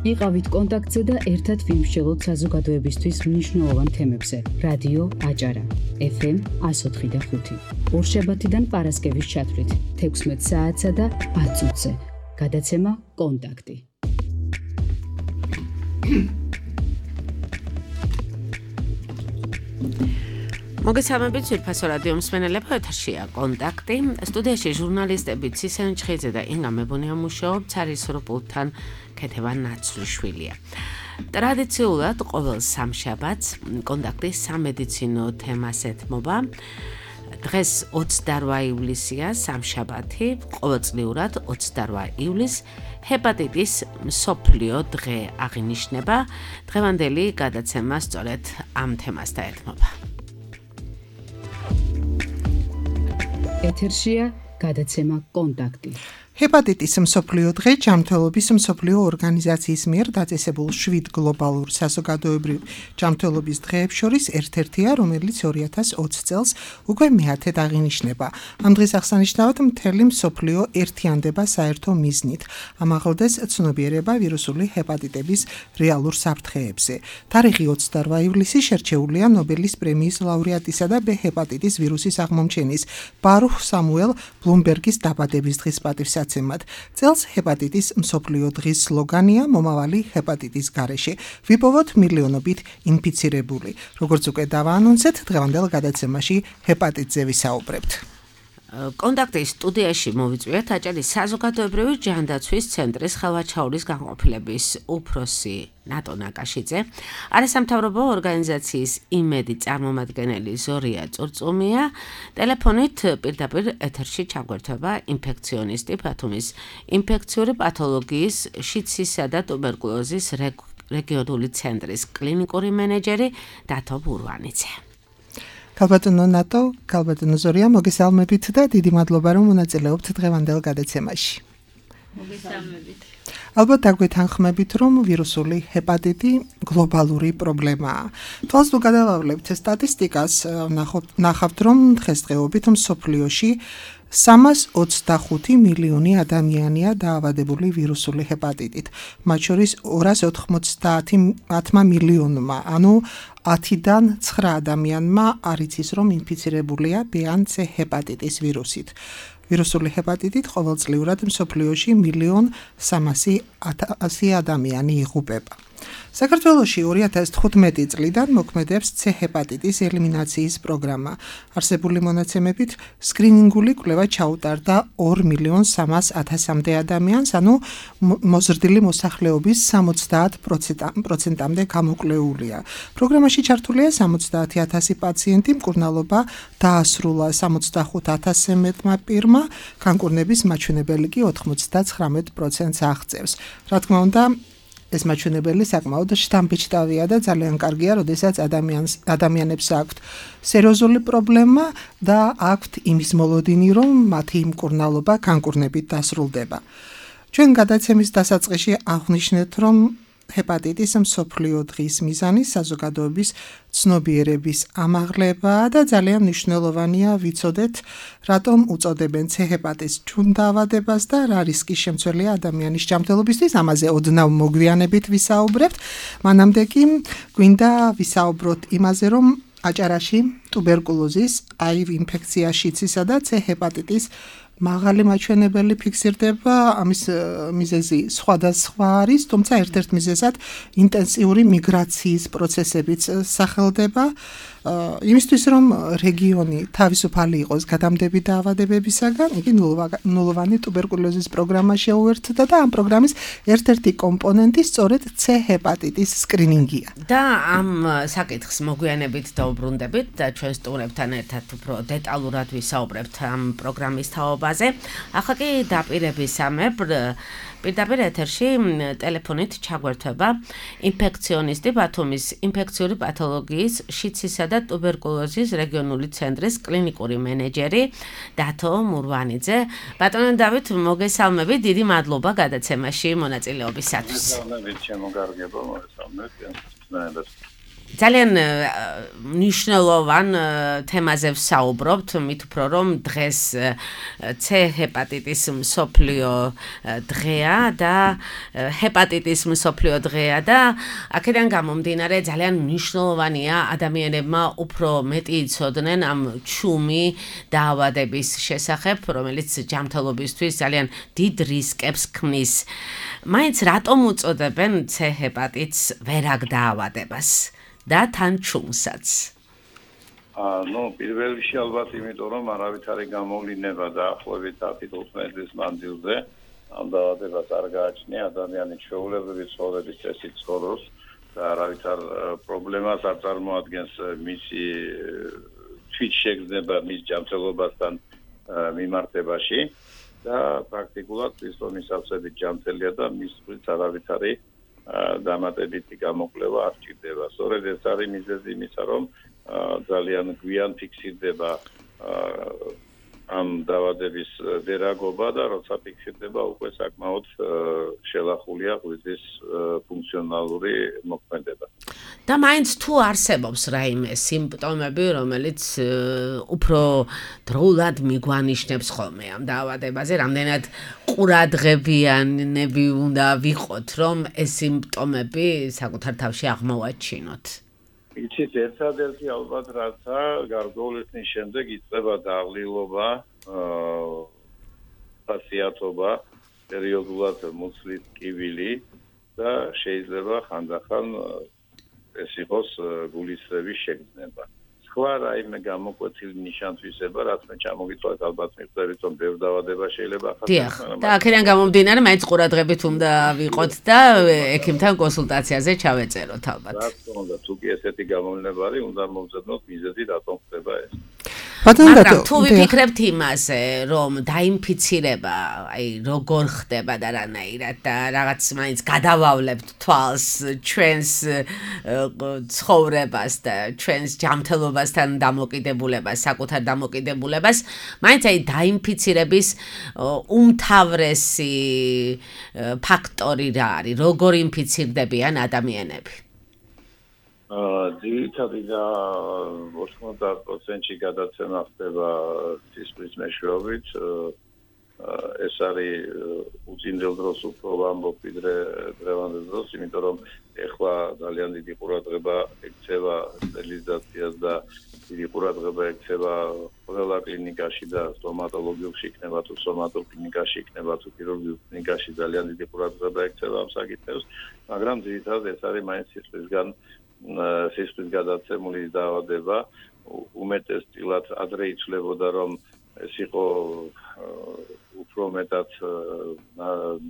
იყავით კონტაქტზე და ერთად ვიმსჯელოთ საზოგადოებისთვის მნიშვნელოვან თემებზე. რადიო აჭარა, FM 104.5. ორშაბათიდან პარასკევის ჩათვლით 16 საათსა და 10 წუთზე. გადაცემა კონტაქტი. მოგესალმებით ძვირფასო რადიო მსმენელებო, ეთერშია კონტაქტი. სტუდიაში ჟურნალისტები ცისენ ჩხიძე და ინგა მებონია მუშაობ, ცარისრო პულტთან ქეთევან ნაცვლიშვილია. ტრადიციულად ყოველ სამშაბათს კონტაქტის სამედიცინო თემას ეთმობა. დღეს 28 ივლისია, სამშაბათი, ყოველწლიურად 28 ივლისს ჰეპატიტის მსოფლიო დღე აღინიშნება. დღევანდელი გადაცემა სწორედ ამ თემასთან ეთმობა. ეთერშია გადაცემა კონტაქტი. ჰეპატიტის მსოფლიო დღე ჯანმრთელობის მსოფლიო ორგანიზაციის მიერ დაწესებულ 7 გლობალურ საზოგადოებრივ ჯანმრთელობის დღეებს შორის ერთ-ერთია, რომელიც 2020 წელს უკვე მე-10-ად აღინიშნება. ამ დღის აღსანიშნავად მთელი მსოფლიო ერთიანდება საერთო მიზნით. ამაღლდეს ცნობიერება ვირუსული ჰეპატიტების რეალურ საფრთხეებზე. თარიღი 28 ივლისი შერჩეულია ნობელის პრემიის ლაურეატისა და B ჰეპატიტის ვირუსის აღმომჩენის ბარუხ სამუელ ბლუმბერგის დაბადების დღის პატივსაცემად. წელს ჰეპატიტის მსოფლიო დღის სლოგანია მომავალი ჰეპატიტის გარეშე. ვიპოვოთ მილიონობით ინფიცირებული. როგორც უკვე დავაანონსეთ, დღევანდელ გადაცემაში ჰეპატიტზე ვისაუბრებთ. კონტაქტის სტუდიაში მოვიწვიეთ აჭარის საზოგადოებრივი ჯანდაცვის ცენტრის ხელვაჩაურის განყოფილების უფროსი ნატო ნაკაშიძე, არასამთავრობო ორგანიზაციის იმედი წარმომადგენელი ზორია წურწუმია, ტელეფონით პირდაპირ ეთერში ჩაგვერთვება ინფექციონისტი ბათუმის ინფექციური პათოლოგიის, შიდსისა და ტუბერკულოზის რეგიონული ცენტრის კლინიკური მენეჯერი დათო ბურვანიძე. ქალბატონო ნატო, ქალბატონო ზორია, მოგესალმებით და დიდი მადლობა, რომ მონაწილეობთ დღევანდელ გადაცემაში. მოგესალმებით. ალბათ დაგვეთანხმებით, რომ ვირუსული ჰეპატიტი გლობალური პრობლემაა. თვალს თუ გადავავლებთ სტატისტიკას, ნახავთ, რომ დღესდღეობით მსოფლიოში 325 მილიონი ადამიანია დაავადებული ვირუსული ჰეპატიტით, მათ შორის 290 მილიონმა, ანუ 10-დან 9 ადამიანმა არ იცის, რომ ინფიცირებულია B ან C ჰეპატიტის ვირუსით. ვირუსული ჰეპატიტით ყოველწლიურად მსოფლიოში 1.3 ადამიანი იღუპება. საქართველოში 2015 წლიდან მოქმედებს C ჰეპატიტის ელიმინაციის პროგრამა. არსებული მონაცემებით სკრინინგული კვლევა ჩაუტარდა 2.300.000 ადამიანს, ანუ მოზრდილი მოსახლეობის 70%-მდე გამოკვლეულია. პროგრამაში ჩართულია 70,000 პაციენტი, მკურნალობა დაასრულა 65,000-ზე მეტმა პირმა, განკურნების მაჩვენებელი კი 99%-ს აღწევს. რა თქმა უნდა, ეს მაჩვენებელი საკმაოდ შთამბეჭდავია და ძალიან კარგია, როდესაც ადამიანებს აქვთ სერიოზული პრობლემა და აქვთ იმის მოლოდინი, რომ მათი მკურნალობა განკურნებით დასრულდება. ჩვენ გადაცემის დასაწყისში აღვნიშნეთ, რომ ჰეპატიტის მსოფლიო დღის მიზანი საზოგადოების ცნობიერების ამაღლებაა და ძალიან მნიშვნელოვანია ვიცოდეთ, რატომ უწოდებენ C ჰეპატიტის დაავადებას და რა რისკის შემცველია ადამიანის ჯანმრთელობისთვის. ამაზე ოდნავ მოგვიანებით ვისაუბრებთ. მანამდე კი გვინდა ვისაუბროთ იმაზე, რომ აჭარაში ტუბერკულოზის, HIV ინფექცია, შიდსისა და C ჰეპატიტის მაღალი მაჩვენებელი ფიქსირდება, ამის მიზეზი სხვადასხვა არის, თუმცა ერთ-ერთ მიზეზად ინტენსიური მიგრაციის პროცესებიც სახელდება. იმისთვის, რომ რეგიონი თავისუფალი იყოს გადამდები დაავადებებისაგან, იგი ნულოვანი ტუბერკულოზის პროგრამა შეუერთდა და ამ პროგრამის ერთ-ერთი კომპონენტი სწორედ C ჰეპატიტის სკრინინგია. და ამ საკითხს მოგვიანებით დაუბრუნდებით და ჩვენ სტუმრებთან ერთად უფრო დეტალურად ვისაუბრებთ ამ პროგრამის თაობაზე. ახლა კი დაპირებისამებრ პირდაპირ ეთერში ტელეფონით ჩაგვერთვება ინფექციონისტი ბათუმის ინფექციური პათოლოგიის, შიდსისა და ტუბერკულოზის რეგიონული ცენტრის კლინიკური მენეჯერი დათო მურვანიძე. ბატონო დავით, მოგესალმებით, დიდი მადლობა გადაცემაში მონაწილეობისათვის. მოგესალმებით, ჩემო კარგებო, მოგესალმებით. ძალიან მნიშვნელოვან თემაზე ვსაუბრობთ, მით უფრო რომ დღეს C ჰეპატიტის მსოფლიო დღეა და ჰეპატიტის მსოფლიო დღეა და აქედან გამომდინარე ძალიან მნიშვნელოვანია ადამიანებმა უფრო მეტი იცოდნენ ამ ჩუმი დაავადების შესახებ, რომელიც ჯანმრთელობისთვის ძალიან დიდ რისკებს ქმნის. მაინც რატომ უწოდებენ C ჰეპატიტს ვერაგ დაავადებას? და თან ჩუმსაც. პირველ რიგში ალბათ იმიტომ რომ არავითარი გამოვლინება დაახლოებით 10-15 წლის მანძილზე ამ დაავადებას არ გააჩნია ადამიანი ჩვეულებრივი ცხოვრების წესით ცხოვრობს და არავითარ პრობლემას არ წარმოადგენს მისი თვითშეგრძნება მის ჯანმრთელობასთან მიმართებაში და პრაქტიკულად ის რომ მისავსებით ჯანმრთელია და მის თვით არავითარი დამატებითი გამოკვლევა არ ჭირდება. სწორედ ეს არის მიზეზი იმისა, რომ ძალიან გვიან ფიქსირდება ამ დაავადების ვერაგობა და როცა ფიქსირდება უკვე საკმაოდ შელახულია ღვიძლის ფუნქციონალური მოქმედება. და მაინც თუ არსებობს რაიმე სიმპტომები, რომელიც უფრო დროულად მიგვანიშნებს ხოლმე ამ დაავადებაზე, რამდენად ყურადღებიანები უნდა ვიყოთ, რომ ეს სიმპტომები საკუთარ თავში აღმოვაჩინოთ. იცით, ერთადერთი ალბათ რაცა გარკვეული ხნის შემდეგ იწყება დაღლილობა, ხასიათობა, პერიოდულად მუცლის ტკივილი და შეიძლება ხანდახან ეს იყოს გულისრევის შეგრძნება. სხვა რაიმე გამოკვეთილი ნიშან-თვისება, რაც მე ჩამოგიწვევთ ალბათ მიხვდებით, რომ ბევრ დაავადება შეიძლება ახასიათოს. და აქედან გამომდინარე, მაინც ყურადღებით უნდა ვიყოთ და ექიმთან კონსულტაციაზე ჩავეწეროთ ალბათ. რა თქმა უნდა, თუ კი ესეთი გამოვლინება არის, უნდა მოვძებნოთ მიზეზი, რატომ ხდება ეს. მაგრამ თუ ვიფიქრებთ იმაზე, რომ დაინფიცირება, აი როგორ ხდება და რანაირად და რაღაც მაინც გადავავლებთ თვალს ჩვენს ცხოვრებას და ჩვენს ჯანმრთელობასთან დამოკიდებულებას, საკუთარ დამოკიდებულებას, მაინც აი დაინფიცირების უმთავრესი ფაქტორი რა არის, როგორ ინფიცირდებიან ადამიანები? ძირითადად და 90%-ში გადაცემა ხდება სისხლის მეშვეობით. ეს არის უწინდელ დროს უფრო ვამბობ ვიდრე დღევანდელ დროს, იმიტომ რომ ეხლა ძალიან დიდი ყურადღება ექცევა სტერილიზაციას და დიდი ყურადღება ექცევა ყველა კლინიკაში და სტომატოლოგიაში იქნება თუ სომატოლოგ კლინიკაში იქნება თუ ქირურგიულ კლინიკაში ძალიან დიდი ყურადღება ექცევა ამ საკითხებს, მაგრამ ძირითადად ეს არის მაინც სისხლის გადაცემული დაავადება. უმეტესწილად ადრე იცვლებოდა, რომ ეს იყო უფრო მეტად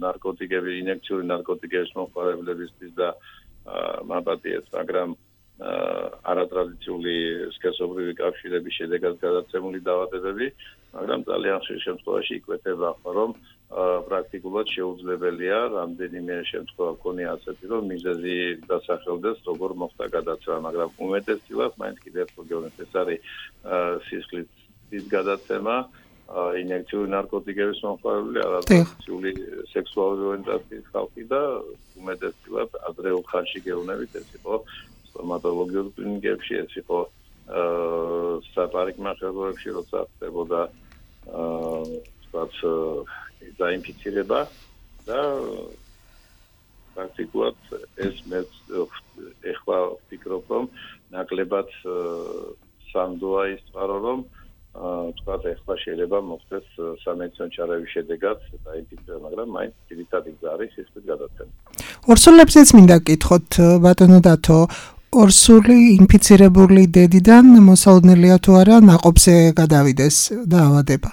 ნარკოტიკები, ინექციური ნარკოტიკების მომხმარებლებისთვის და მაპატიეს, მაგრამ არატრადიციული სქესობრივი კავშირების შედეგად გადაცემული დაავადებები, მაგრამ ძალიან ხშირ შემთხვევაში იკვეთება, რომ პრაქტიკულად შეუძლებელია რამდენიმე შემთხვევა ქონია ასეთი, რომ მიზეზი დასახელდეს, როგორ მოხდა გადაცემა, მაგრამ უმეტესწილად მაინც კიდევ ერთხელ გეუბნებით, ეს არის სისხლის გადაცემა, ინექციური ნარკოტიკების მომხმარებელი, არატრადიციული სექსუალური ორიენტაციის ხალხი და უმეტესწილად ადრეულ ხანში გეუბნებით, ეს იყო სტომატოლოგიურ კლინიკებში, ეს იყო საპარიკმახეროებში, როცა ხდებოდა დაინფიცირება და პრაქტიკულად ეს მე ეხლა ვფიქრობ, რომ ნაკლებად სანდოა ის წყარო, რომ თქვათ ეხლა შეიძლება მოხდეს სამედიცინო ჩარევის შედეგად დაინფიცირება, მაგრამ მაინც ძირითადი გზა არის სისხლის გადაცემა. ორსულებზეც მინდა გკითხოთ, ბატონო დათო, ორსული ინფიცირებული დედიდან მოსალოდნელია თუ არა ნაყოფზე გადავიდეს დაავადება?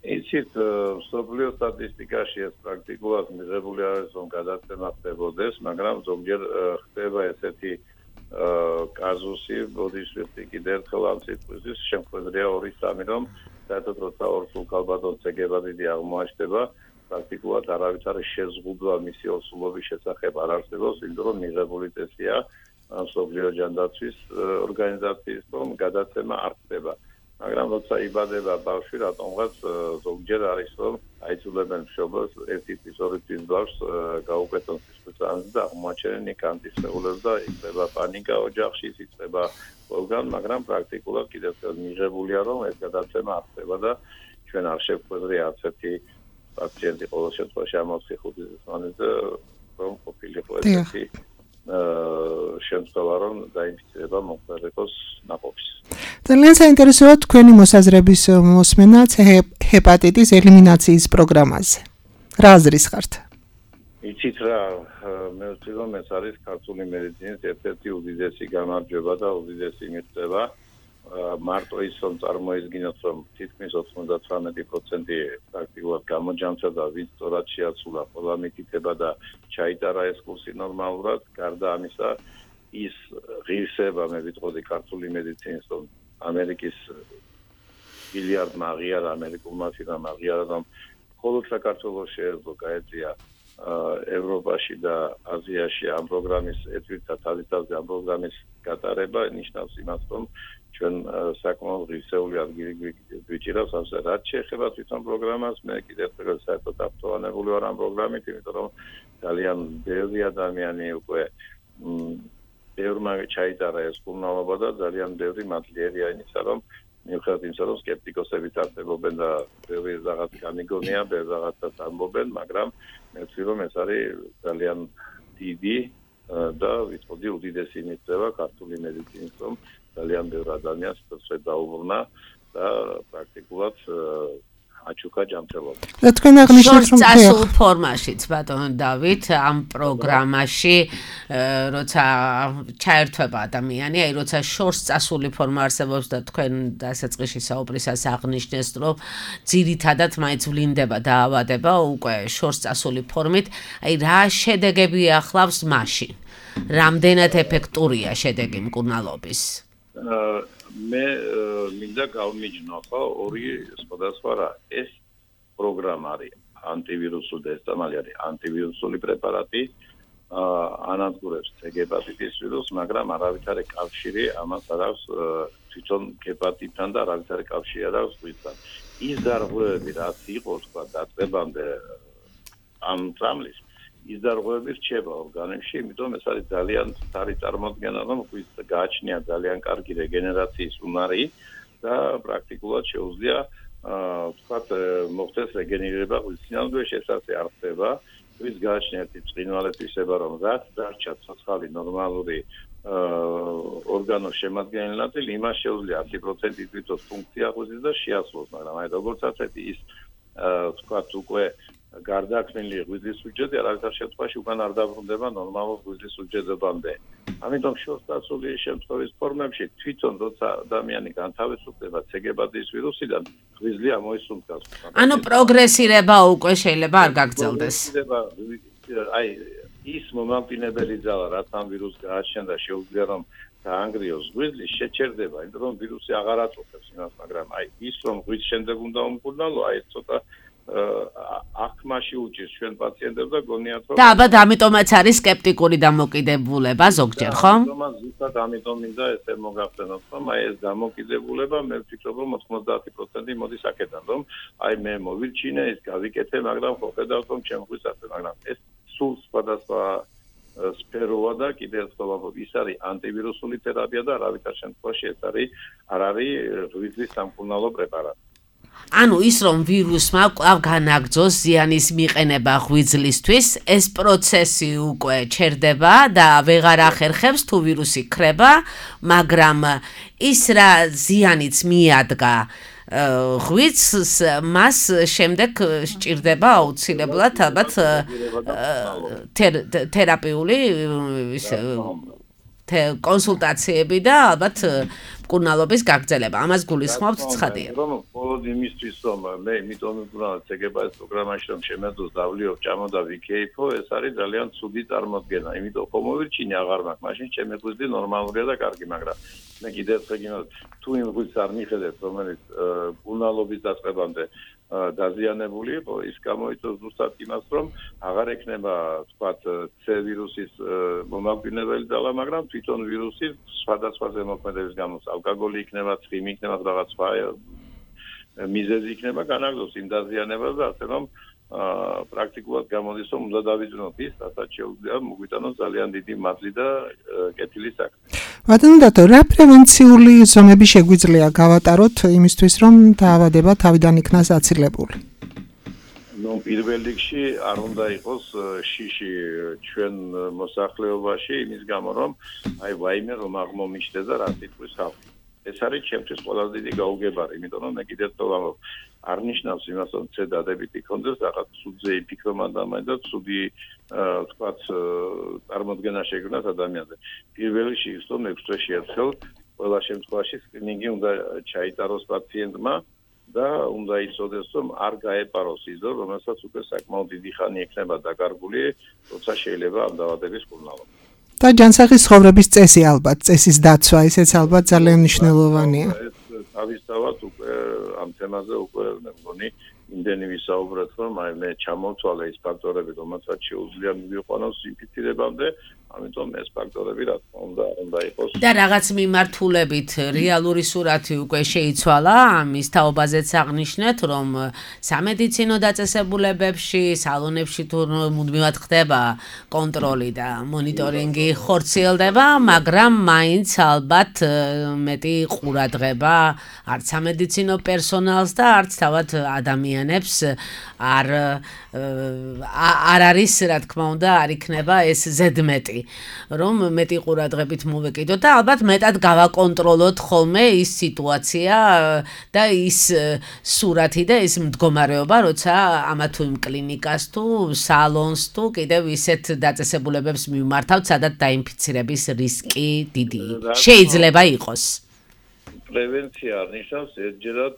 იცით, მსოფლიო სტატისტიკაში ეს პრაქტიკულად მიღებული არის, რომ გადაცემა ხდებოდეს, მაგრამ ზოგჯერ ხდება ესეთი კაზუსი, ბოდიშვილი კიდევ ერთხელ ამ სიტყვის შემთხვევია 2-3, რომ საერთოდ როცა ორსულ ქალბატონს ეგებადიდი აღმოაჩნდება, პრაქტიკულად არავითარი შეზღუდვა მისი ორსულობის შესახებ არ არსებობს, იმიტომ რომ მიღებული წესია მსოფლიო ჯანდაცვის ორგანიზაციის, რომ გადაცემა არ ხდება. მაგრამ როცა იბადება ბავშვი, რატომღაც ზოგჯერ არის, რომ აიძულებენ მშობელს ერთი თვის ორი თვის ბავშვს გაუკეთონ სისხლისღამისი და აღმოაჩენენ იქ ანტისხეულებს და იწყება პანიკა ოჯახში, იწყება ყველგან, მაგრამ პრაქტიკულად კიდევ მიღებულია რომ ეს გადაცემა არ ხდება და ჩვენ არ შევხვედრი არც ერთი პაციენტი ყოველ შემთხვევაში ამ 4-5 წლის მანძილზე რომ ყოფილიყო ესეთი შემთხვევა რომ დაინფიცირება მომხდარიყოს ნაყოფის. ძალიან საინტერესოა თქვენი მოსაზრების მოსმენაც ჰეპატიტის ელიმინაციის პროგრამაზე. რა აზრის ხართ? იცით რა, მე ვთქვი რომ ეს არის ქართული მედიცინის ერთ-ერთი უდიდესი გამარჯვება და უდიდესი მიღწევა. მარტო ის რომ წარმოიდგინოთ რომ თითქმის 99% პრაქტიკულად გამოჯამწა და ვინც სწორად შეაცვლა ყველა მითითება და ჩაიტარა ეს კურსი ნორმალურად, გარდა ამისა ის ღირსება მე ვიტყოდი ქართული მედიცინის რომ ამერიკის მილიარდმა აღიარა ამერიკულმა ფირმამ აღიარა რომ მხოლოდ საქართველოს შეეძლო გაეწია ევროპაში და აზიაში ამ პროგრამის ეთვირთა თავისთავად ამ პროგრამის გატარება ნიშნავს იმას რომ ჩვენ საკმაოდ ღირსეული ადგილი გვიჭირავს ამაზე რაც შეეხება თვითონ პროგრამას მე კიდევ ერთხელ საერთოდ აფრთხილებული ვარ ამ პროგრამით იმიტომ რომ ძალიან ბევრი ადამიანი უკვე ბევრმა ჩაიტარა ეს კურნალობა და ძალიან ბევრი მადლიერია იმისა რომ მიუხედავად იმისა რომ სკეპტიკოსები არსებობენ და ბევრი რაღაც განიგონია ბევრი რაღაცას ამბობენ მაგრამ მე ვთქვი რომ ეს არის ძალიან დიდი და ვიტყოდი უდიდესი მიღწევა ქართული მედიცინის რომ ძალიან ბევრი ადამიანს სწორედ დაუბრუნა და პრაქტიკულად აჩუქა ჯანმრთელობა. და თქვენ აღნიშნეთ რომ წასულ ფორმაშიც ბატონო დავით ამ პროგრამაში როცა ჩაერთვება ადამიანი, აი როცა შორს წასული ფორმა არსებობს და თქვენ დასაწყისში საუბრისას აღნიშნეს რომ ძირითადად მაინც ვლინდება დაავადება უკვე შორს წასული ფორმით, აი რა შედეგები ახლავს მაშინ? რამდენად ეფექტურია შედეგი მკურნალობის? მე მინდა გავმიჯნო ხო ორი სხვადასხვა რა ეს პროგრამა არის ანტივირუსული და ეს თამალი არის ანტივირუსული პრეპარატი ანადგურებს ჰეპატიტის ვირუსს მაგრამ არავითარი კავშირი ამას არ აქვს თვითონ ჰეპატიტთან და არავითარი კავშირი არ აქვს ღვიძლთან ის დარღვევები რაც იყო თქვა დაწყებამდე ამ წამლის ის დარღვევები რჩება ორგანიზმში, იმიტომ ეს არის ძალიან სწორი წარმოდგენა, რომ ღვიძლს გააჩნია ძალიან კარგი რეგენერაციის უნარი და პრაქტიკულად შეუძლია ვთქვათ მოხდეს რეგენერირება ღვიძლის სინამდვილეში ეს ასე არ ხდება. ღვიძლს გააჩნია ერთი ბრწყინვალე თვისება, რომ რაც დარჩა ცოცხალი ნორმალური ორგანოს შემადგენელი ნაწილი, იმას შეუძლია 100% ითვითოს ფუნქცია ღვიძლის და შეასრულოს, მაგრამ აი როგორც ასეთი ის ვთქვათ უკვე გარდაქმნილი ღვიძლის უჯრედი არავითარ შემთხვევაში უკან არ დაბრუნდება ნორმალურ ღვიძლის უჯრედებამდე. ამიტომ შორსწასული შემთხვევის ფორმებში თვითონ როცა ადამიანი განთავისუფლდება ჰეპატიტის ვირუსიდან, ღვიძლი ამოისუნთქავს. ანუ პროგრესირება უკვე შეიძლება არ გაგრძელდეს. აი ის მომამტინებელი ძალა, რაც ამ ვირუსს გააჩნია და შეუძლია რომ დაანგრიოს ღვიძლი, შეჩერდება, იმიტომ რომ ვირუსი აღარ აწუხებს იმას, მაგრამ აი ის რომ ღვიძლს შემდეგ უნდა უმკურნალო, აი ცოტა აქმაში უჭირს ჩვენ პაციენტებს და გონიათ რომ და ალბათ ამიტომაც არის სკეპტიკური დამოკიდებულება ზოგჯერ, ხო? ამიტომ მინდა ესე მოგახსენოთ, რომ აი ეს დამოკიდებულება მე ვფიქრობ რომ 90% მოდის აქედან, რომ აი მე მოვირჩინე, ის გავიკეთე, მაგრამ ხო ხედავთ რომ ჩემ ღვიძლს ასე, მაგრამ ეს სულ სხვადასხვა სფეროა და კიდევ ერთხელ ვამბობ, ის არის ანტივირუსული თერაპია და არავითარ შემთხვევაში ეს არ არის ღვიძლის სამკურნალო პრეპარატი. ანუ ის რომ ვირუსმა კვლავ განაგრძოს ზიანის მიყენება ღვიძლისთვის, ეს პროცესი უკვე ჩერდება და ვეღარ ახერხებს თუ ვირუსი ქრება, მაგრამ ის რა ზიანიც მიადგა ღვიძლს, მას შემდეგ სჭირდება აუცილებლად ალბათ თერაპიული კონსულტაციები და ალბათ მკურნალობის გაგრძელება. ამას გულისხმობთ ცხადია. რომ მხოლოდ იმისთვის რომ მე იმიტომ მკურნალობ ცეგებას პროგრამაში რომ შემეძლოს დავლიო ჭამო და ვიქეიფო, ეს არის ძალიან ცუდი წარმოდგენა. იმიტომ რომ მოვირჩინე აღარ მაქვს, მაშინ ჩემი ღვიძლი ნორმალურია და კარგი, მაგრამ მე კიდევ ერთხელ გინდათ თუ იმ ღვიძლს არ მიხედეთ, რომელიც მკურნალობის დაწყებამდე დაზიანებული იყო, ის გამოიწვევს ზუსტად იმას, რომ აღარ ექნება, თქვათ, C ვირუსის მომაკვდინებელი ძალა, მაგრამ თვითონ ვირუსი სხვადასხვა ზემოქმედების გამო, ალკოგოლი იქნება, ცხიმი იქნება, რაღაც სხვა მიზეზი იქნება განაგრძოს იმ დაზიანებას და ასე რომ პრაქტიკულად გამოდის რომ უნდა დავიძინოთ ის, რასაც შეუძლია მოგვიტანოს ძალიან დიდი მადლი და კეთილი საქმე. ბატონო დათო, რა პრევენციული ზომები შეგვიძლია გავატაროთ იმისთვის, რომ დაავადება თავიდან იქნას აცილებული? პირველ რიგში არ უნდა იყოს შიში ჩვენ მოსახლეობაში იმის გამო რომ ვაიმე რომ აღმომიჩნდეს და რა თქოს ხალხი. ეს არის ჩემთვის ყველაზე დიდი გაუგებარი, იმიტომ რომ მე კიდევ ვამბობ, არ ნიშნავს იმას რომ დადებითი კონდეს რაღაც ცუდზე იფიქრომ ადამიანს და ცუდი თქვათ წარმოდგენა შეგვიყვანოს ადამიანზე. პირველ რიგში ის რომ 6 თვეში ერთხელ ყველა შემთხვევაში სკრინინგი უნდა ჩაიტაროს პაციენტმა და უნდა იცოდეს რომ არ გაეპაროს ის დრო, რომელსაც უკვე საკმაოდ დიდი ხანი ექნება დაკარგული, როცა შეიძლება ამ დაავადების კურნალობა. და ჯანსაღის ცხოვრების წესი ალბათ, წესის დაცვა, ესეც ალბათ ძალიან მნიშვნელოვანია. თავისთავად უკვე ამ თემაზე უკვე მე მგონი იმდენი ვისაუბრეთ, რომ მე ჩამოვთვალე ის ფაქტორები, რომელსაც შეუძლია მივიყვანოს ინფიცირებამდე, ამიტომ ეს ფაქტორები რა თქმა უნდა იყოს. და რაღაც მიმართულებით რეალური სურათი უკვე შეიცვალა, ამის თაობაზეც აღნიშნეთ, რომ სამედიცინო დაწესებულებებში, სალონებში თუ მუდმივად ხდება კონტროლი და მონიტორინგი ხორციელდება, მაგრამ მაინც ალბათ მეტი ყურადღება არც სამედიცინო პერსონალს და არც თავად ადამიანებს არ არის, რა თქმა უნდა, არ იქნება ეს ზედმეტი, რომ მეტი ყურადღებით მოვეკიდოთ და ალბათ მეტად გავაკონტროლოთ ხოლმე ის სიტუაცია და ის სურათი და ის მდგომარეობა, როცა ამა თუ იმ კლინიკას თუ სალონს თუ კიდევ ისეთ დაწესებულებებს მივმართავთ, სადაც დაინფიცირების რისკი დიდი შეიძლება იყოს. პრევენცია ნიშნავს ერთჯერად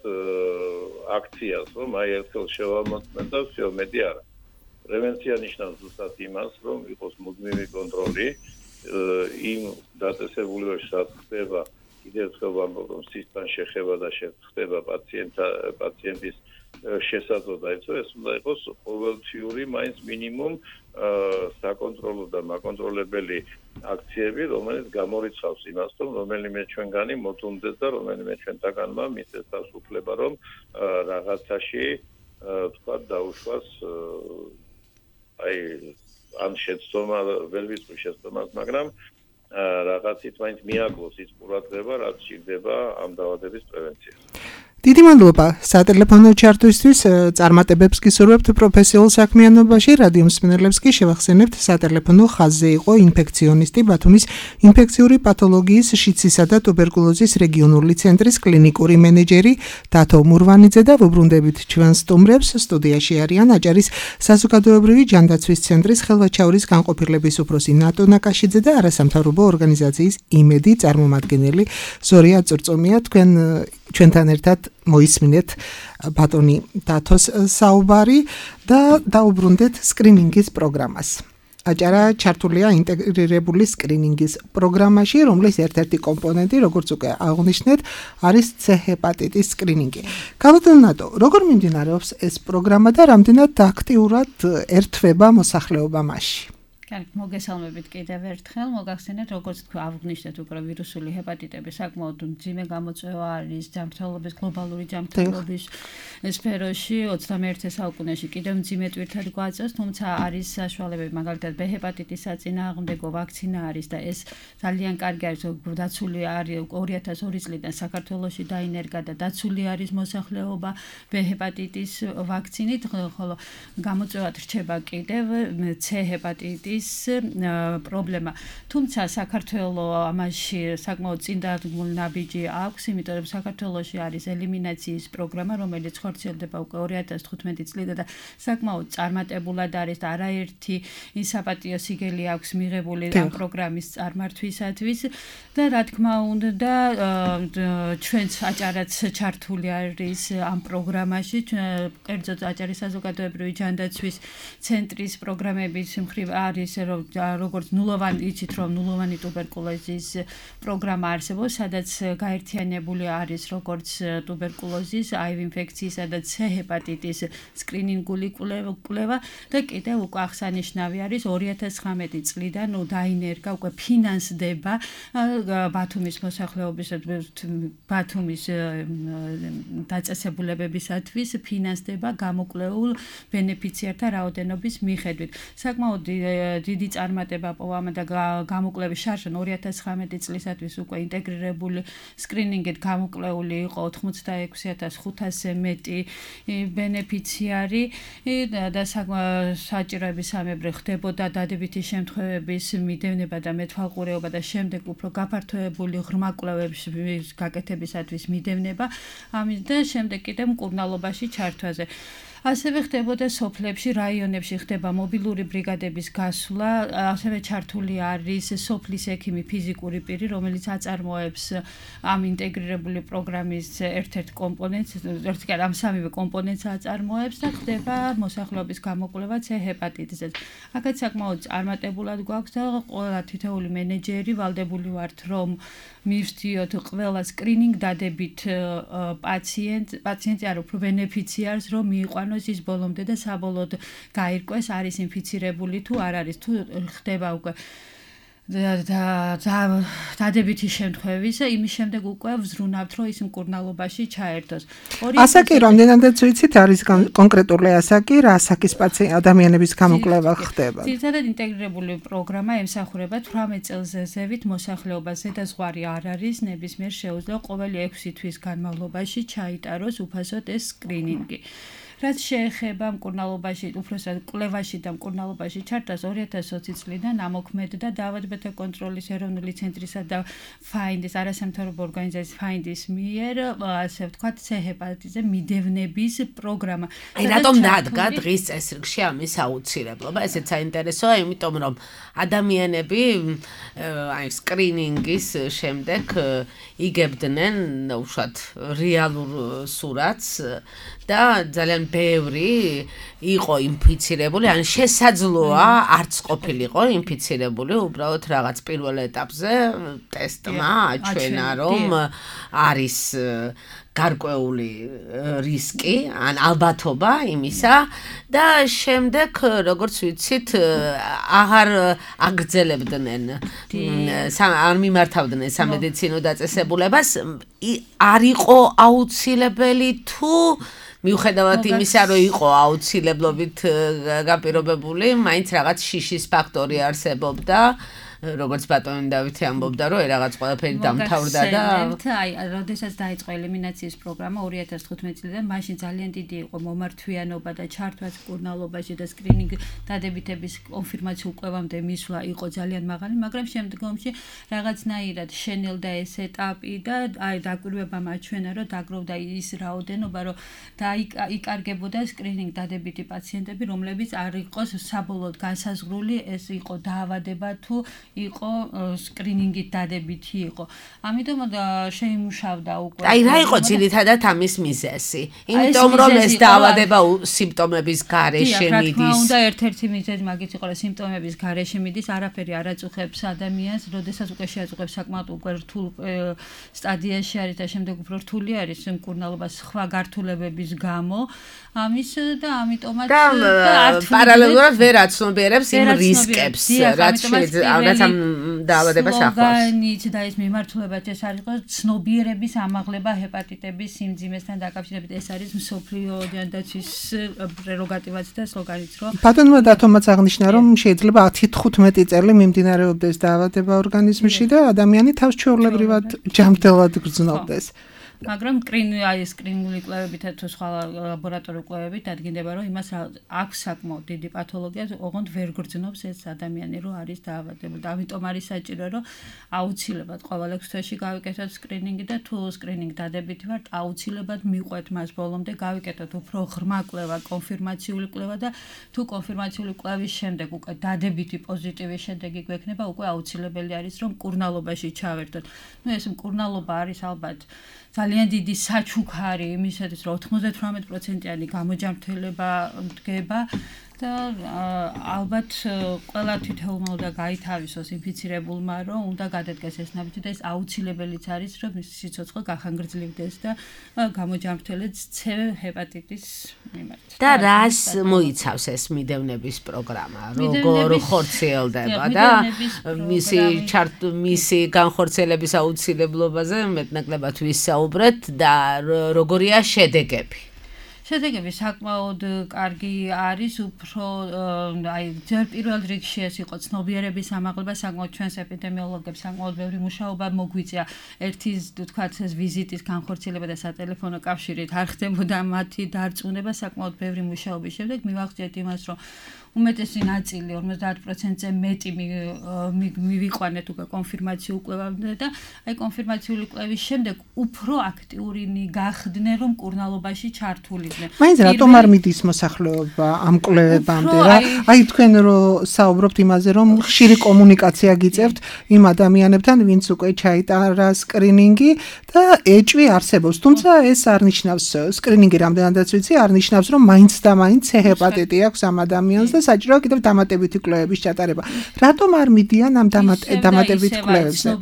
აქციას, რომ ერთხელ შევამოწმეთ და всё მეტი არა. პრევენცია ნიშნავს ზუსტად იმას, რომ იყოს მუდმივი კონტროლი იმ დაწესებულებაში, სადაც ხდება კიდევ ერთხელ ვამბობ, რომ სისხლთან შეხება და ხდება პაციენტის შესაძლო და ეს უნდა იყოს ყოველთვიური მაინც მინიმუმ საკონტროლო და მაკონტროლებელი აქციები, რომელიც გამორიცხავს იმას, რომ რომელიმე ჩვენგანი მოდუნდეს და რომელიმე ჩვენთაგანმა მისცეს თავს უფლება, რომ რაღაცაში თქვათ დაუშვას ან შეცდომა ვერ ვიტყვი შეცდომას, მაგრამ რაღაცით მაინც მიაკლოს ის ყურადღება, რაც სჭირდება ამ დაავადების პრევენციას. დიდი მადლობა სატელეფონო ჩართვისთვის, წარმატებებს გისურვებთ პროფესიულ საქმიანობაში, რადიო მსმენელებს კი შევახსენებთ სატელეფონო ხაზზე იყო ინფექციონისტი ბათუმის ინფექციური პათოლოგიის, შიცისა და ტუბერკულოზის რეგიონული ცენტრის კლინიკური მენეჯერი დათო მურვანიძე და ვუბრუნდებით ჩვენ სტუმრებს. სტუდიაში არიან აჭარის საზოგადოებრივი ჯანდაცვის ცენტრის ხელვაჩაურის განყოფილების უფროსი ნატო ნაკაშიძე და არასამთავრობო ორგანიზაციის იმედი წარმომადგენელი ზორია წურწუმია. ჩვენთან ერთად მოისმინეთ ბატონი დათოს საუბარი და დაუბრუნდეთ სკრინინგის პროგრამას. აჭარა ჩართულია ინტეგრირებული სკრინინგის პროგრამაში, რომლის ერთ-ერთი კომპონენტი, როგორც უკვე აღნიშნეთ, არის C ჰეპატიტის სკრინინგი. ბატონო ნატო, როგორ მიმდინარეობს ეს პროგრამა და რამდენად აქტიურად ერთვება მოსახლეობა მასში? მოგესალმებით კიდევ ერთხელ. მოგახსენეთ, როგორც თქვა, აღნიშნეთ უკვე ვირუსული ჰეპატიტების საკმაოდ მძიმე გამოწვევა არის ჯანმრთელობის გლობალური ჯანმრთელობის სფეროში 21 საუკუნეში კიდევ მძიმე ტვირთად გვაწევს, თუმცა არის საშუალებები, მაგალითად B ჰეპატიტის საწინააღმდეგო ვაქცინა არის და ეს ძალიან კარგი არის, დაცული არის 2002 წლიდან საქართველოში დაინერგა და დაცული არის მოსახლეობა B ჰეპატიტის ვაქცინით, ხოლო გამოწვევად რჩება კიდევ C ჰეპატიტის პრობლემა. თუმცა საქართველოს ამაში საკმაოდ წინდადგმული ნაბიჯი აქვს, იმიტომ რომ საქართველოში არის ელიმინაციის პროგრამა, რომელიც ხორციელდება უკვე 2015 წლიდან და საკმაოდ წარმატებულად არის და არაერთი საპატიო სიგელი აქვს მიღებული ამ პროგრამის წარმართვისათვის და რა თქმა უნდა ჩვენც აჭარაც ჩართული არის ამ პროგრამაში, კერძოდ აჭარის საზოგადოებრივი ჯანდაცვის ცენტრის პროგრამების მხრივ არის ისე რომ როგორც ნულოვანი იცით რომ ნულოვანი ტუბერკულოზის პროგრამა არსებობს, სადაც გაერთიანებული არის როგორც ტუბერკულოზის, HIV ინფექციისა და C ჰეპატიტის სკრინინგული კვლევა და კიდევ უკვე აღსანიშნავი არის 2019 წლიდან დაინერგა უკვე ფინანსდება ბათუმის მოსახლეობის ბათუმის დაწესებულებებისათვის ფინანსდება გამოკვლეულ ბენეფიციართა რაოდენობის მიხედვით. საკმაოდ დიდი წარმატება პოვა და გამოკვლევის შარშან 2019 წლისათვის უკვე ინტეგრირებული სკრინინგით გამოკვლეული იყო 86,500-ზე მეტი ბენეფიციარი და საჭიროებისამებრ ხდებოდა დადებითი შემთხვევების მიდევნება და მეთვალყურეობა და შემდეგ უფრო გაფართოებული ღრმა კვლევების გაკეთებისათვის მიდევნება ამის და შემდეგ კიდევ მკურნალობაში ჩართვაზე. ასევე ხდებოდა სოფლებში, რაიონებში ხდება მობილური ბრიგადების გასვლა, ასევე ჩართული არის სოფლის ექიმი ფიზიკური პირი, რომელიც აწარმოებს ამ ინტეგრირებული პროგრამის ერთ-ერთ კომპონენტს, ამ სამივე კომპონენტს აწარმოებს და ხდება მოსახლეობის გამოკვლევა C ჰეპატიტისზე. აქაც საკმაოდ წარმატებულად გვაქვს და ყველა თითოეული მენეჯერი ვალდებული ვართ, რომ მივსდიოთ ყველა სკრინინგ დადებით პაციენტი არ უფრო ბენეფიციარს, რომ მიიყვანოს ის ბოლომდე და საბოლოოდ გაირკვეს არის ინფიცირებული თუ არ არის, თუ ხდება უკვე დადებითი შემთხვევის, იმის შემდეგ უკვე ვზრუნავთ, რომ ის მკურნალობაში ჩაერთოს. ასაკი რამდენადაც ვიცით არის კონკრეტული ასაკი, რა ასაკის ადამიანების გამოკვლევა ხდება? ძირითადად ინტეგრირებული პროგრამა ემსახურება 18 წელზე ზევით მოსახლეობას, ზედაზღვარი არ არის, ნებისმიერ შეუძლია ყოველი 6 თვის განმავლობაში ჩაიტაროს უფასოდ ეს სკრინინგი. რაც შეეხება მკურნალობაში, უпроსად კვლევაში და მკურნალობაში ჩართვას 2020 წლიდან ამოქმედდა დაავადებათა კონტროლის ეროვნული ცენტრისა და ფაინდის არასამთავრობო ორგანიზაციის ფაინდის მიერ, ასე ვთქვათ, C ჰეპატიტისზე მიდევნების პროგრამა. აი რატომ დადგა დღის წესრიგში ამის აუცილებლობა? ესეც საინტერესოა, იმიტომ რომ ადამიანები აი სკრინინგის შემდეგ იგებდნენ უშუალოდ რეალურ სურათს და ძალიან ბევრი იყო ინფიცირებული, ან შესაძლოა არც ყოფილიყო ინფიცირებული, უბრალოდ რაღაც პირველ ეტაპზე ტესტმა აჩვენა, რომ არის გარკვეული რისკი, ან ალბათობა იმისა და შემდეგ, როგორც ვიცით, აღარ აგრძელებდნენ, არ მიმართავდნენ სამედიცინო დაწესებულებას, არ იყო აუცილებელი თუ მიუხედავად იმისა, რომ იყო აუცილებლობით გაპირობებული, მაინც რაღაც შიშის ფაქტორი არსებობდა, როგორც ბატონი დავითი ამბობდა, რომ რაღაც ყველაფერი დამთავრდა და აი, როდესაც დაიწყო ელიმინაციის პროგრამა 2015 წლიდან, მაშინ ძალიან დიდი იყო მომართვიანობა და ჩართვაც მკურნალობაში და სკრინინგ დადებითების კონფირმაციულ კვლევამდე მისვლა იყო ძალიან მაღალი, მაგრამ შემდგომში რაღაცნაირად შენელდა ეს ეტაპი და აი დაკვირვებამ აჩვენა, რომ დაგროვდა ის რაოდენობა, რომ იკარგებოდა სკრინინგ დადებითი პაციენტები, რომლებიც არ იყოს საბოლოოდ განსაზღვრული, ეს იყო დაავადება თუ იყო სკრინინგით დადებითი იყო. ამიტომ შეიმუშავდა უკვე. აი რა იყო ძირითადად ამის მიზეზი? იმიტომ რომ ეს დაავადება სიმპტომების გარეშე მიდის. რა თქმა უნდა, ერთ-ერთი მიზეზი მაგით იყო, რომ სიმპტომების გარეშე მიდის, არაფერი არ აწუხებს ადამიანს, როდესაც უკვე შეაწუხებს საკმაოდ უკვე რთულ სტადიაში არის და შემდეგ უფრო რთული არის მკურნალობა სხვა გართულებების გამო. ამის და ამიტომაც პარალელურად ვერ აცნობიერებს იმ რისკებს, რაც შეიძლება ამ დაავადებას ახლავს. სლოგანით და ეს მიმართულებაც ეს არის იყო ცნობიერების ამაღლება ჰეპატიტების სიმძიმესთან დაკავშირებით. ეს არის მსოფლიო დაცვის პრეროგატივაც და სლოგანიც, რომ ბატონმა დათომაც აღნიშნა, რომ შეიძლება 10-15 წელი მიმდინარეობდეს დაავადება ორგანიზმში და ადამიანი თავს ჩვეულებრივად ჯანმრთელად გრძნობდეს. მაგრამ სკრინინგული კვლევებით თუ სხვა ლაბორატორიული კვლევებით დადგინდება, რომ იმას აქვს საკმაოდ დიდი პათოლოგია, ოღონდ ვერ გრძნობს ეს ადამიანი, რომ არის დაავადებული. ამიტომ არის საჭირო, რომ აუცილებლად ყოველ 6 თვეში გავიკეთოთ სკრინინგი და თუ სკრინინგი დადებითი ვართ, აუცილებლად მიყვეთ მას ბოლომდე, გავიკეთოთ უფრო ღრმა კვლევა, კონფირმაციული კვლევა და თუ კონფირმაციული კვლევის შემდეგ უკვე დადებითი პოზიტივის შედეგი გვექნება, უკვე აუცილებელი არის, რომ მკურნალობაში ჩავერთოთ. ეს მკურნალობა არის ალბათ ძალიან დიდი საჩუქარი იმისათვის, რომ 98%-იანი გამოჯანმრთელება დგება და ალბათ ყველა თითოეულმა უნდა გაითავისოს ინფიცირებულმა, რომ უნდა გადადგეს ეს ნაბიჯი და ეს აუცილებელიც არის, რომ სიცოცხლე გახანგრძლივდეს და გამოჯამრთველდეს C ჰეპატიტის მიმართ. და რას მოიცავს ეს მიდევნების პროგრამა? როგორ ხორციელდება და მისი განხორციელების აუცილებლობაზე მეტნაკლებად ვისაუბრეთ და როგორია შედეგები? შედეგები საკმაოდ კარგი არის, უფრო ჯერ პირველ რიგში ეს იყო ცნობიერების ამაღლება, საკმაოდ ჩვენს ეპიდემიოლოგებს საკმაოდ ბევრი მუშაობა მოგვიწია. ერთი თქვათ ეს ვიზიტის განხორციელება და სატელეფონო კავშირით არ ხდებოდა მათი დარწმუნება, საკმაოდ ბევრი მუშაობის შემდეგ მივახციეთ იმას, რომ უმეტესი ნაწილი 50%-ზე მეტი მივიყვანეთ უკვე კონფირმაციულ კვლევამდე და აი კონფირმაციული კვლევის შემდეგ უფრო აქტიურინი გახდნენ, რომ მკურნალობაში ჩართულიდნენ. მაინც რატომ არ მიდის მოსახლეობა ამ კვლევებამდე რა? აი თქვენ რო საუბრობთ იმაზე, რომ ხშირი კომუნიკაცია გიწევთ იმ ადამიანებთან, ვინც უკვე ჩაიტარა სკრინინგი და ეჭვი არსებობს. თუმცა ეს არ ნიშნავს, სკრინინგი რამდენადაც ვიცი, არ ნიშნავს, რომ მაინც და მაინც C ჰეპატიტი აქვს ამ ადამიანს და საჭიროა კიდევ დამატებითი კვლევების ჩატარება. რატომ არ მიდიან ამ დამატებით კვლევებზე?